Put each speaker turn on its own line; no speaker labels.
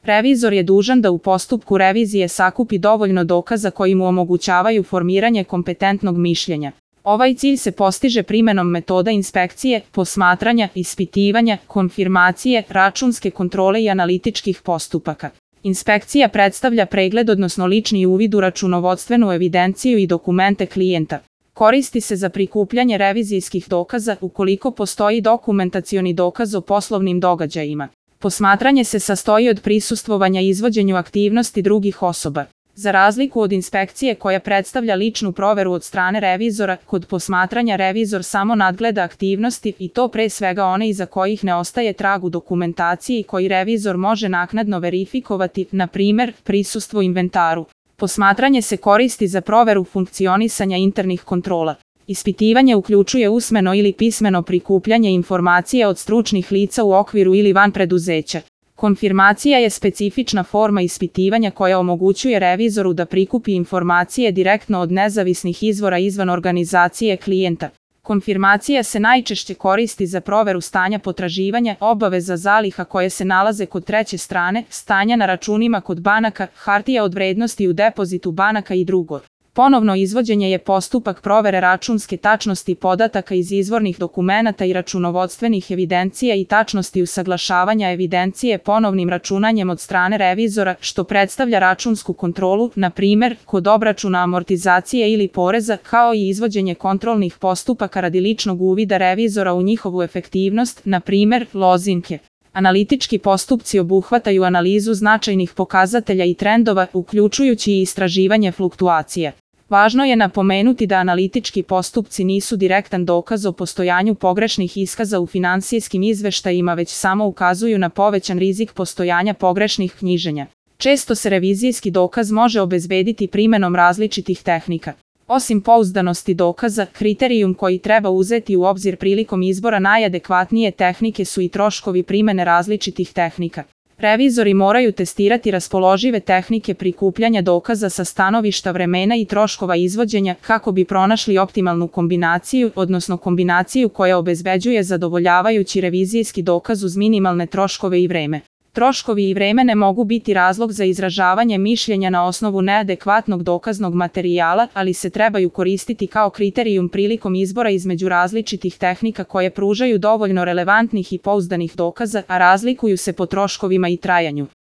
Revizor je dužan da u postupku revizije sakupi dovoljno dokaza koji mu omogućavaju formiranje kompetentnog mišljenja. Ovaj cilj se postiže primenom metoda inspekcije, posmatranja, ispitivanja, konfirmacije, računske kontrole i analitičkih postupaka. Inspekcija predstavlja pregled odnosno lični uvid u računovodstvenu evidenciju i dokumente klijenta. Koristi se za prikupljanje revizijskih dokaza ukoliko postoji dokumentacioni dokaz o poslovnim događajima. Posmatranje se sastoji od prisustvovanja i izvođenju aktivnosti drugih osoba. Za razliku od inspekcije koja predstavlja ličnu proveru od strane revizora, kod posmatranja revizor samo nadgleda aktivnosti i to pre svega one iza kojih ne ostaje trag u dokumentaciji i koji revizor može naknadno verifikovati, na primer, prisustvo u inventaru. Posmatranje se koristi za proveru funkcionisanja internih kontrola. Ispitivanje uključuje usmeno ili pismeno prikupljanje informacija od stručnih lica u okviru ili van preduzeća. Konfirmacija je specifična forma ispitivanja koja omogućuje revizoru da prikupi informacije direktno od nezavisnih izvora izvan organizacije klijenta. Konfirmacija se najčešće koristi za proveru stanja potraživanja, obaveza zaliha koje se nalaze kod treće strane, stanja na računima kod banaka, hartija od vrednosti u depozitu banaka i drugo. Ponovno izvođenje je postupak provere računske tačnosti podataka iz izvornih dokumenata i računovodstvenih evidencija i tačnosti usaglašavanja evidencije ponovnim računanjem od strane revizora, što predstavlja računsku kontrolu, na primer, kod obračuna amortizacije ili poreza, kao i izvođenje kontrolnih postupaka radi ličnog uvida revizora u njihovu efektivnost, na primer, lozinke. Analitički postupci obuhvataju analizu značajnih pokazatelja i trendova, uključujući i istraživanje fluktuacija. Važno je napomenuti da analitički postupci nisu direktan dokaz o postojanju pogrešnih iskaza u finansijskim izveštajima, već samo ukazuju na povećan rizik postojanja pogrešnih knjiženja. Često se revizijski dokaz može obezbediti primenom različitih tehnika. Osim pouzdanosti dokaza, kriterijum koji treba uzeti u obzir prilikom izbora najadekvatnije tehnike su i troškovi primene različitih tehnika. Revizori moraju testirati raspoložive tehnike prikupljanja dokaza sa stanovišta vremena i troškova izvođenja kako bi pronašli optimalnu kombinaciju, odnosno kombinaciju koja obezbeđuje zadovoljavajući revizijski dokaz uz minimalne troškove i vreme. Troškovi i vreme ne mogu biti razlog za izražavanje mišljenja na osnovu neadekvatnog dokaznog materijala, ali se trebaju koristiti kao kriterijum prilikom izbora između različitih tehnika koje pružaju dovoljno relevantnih i pouzdanih dokaza, a razlikuju se po troškovima i trajanju.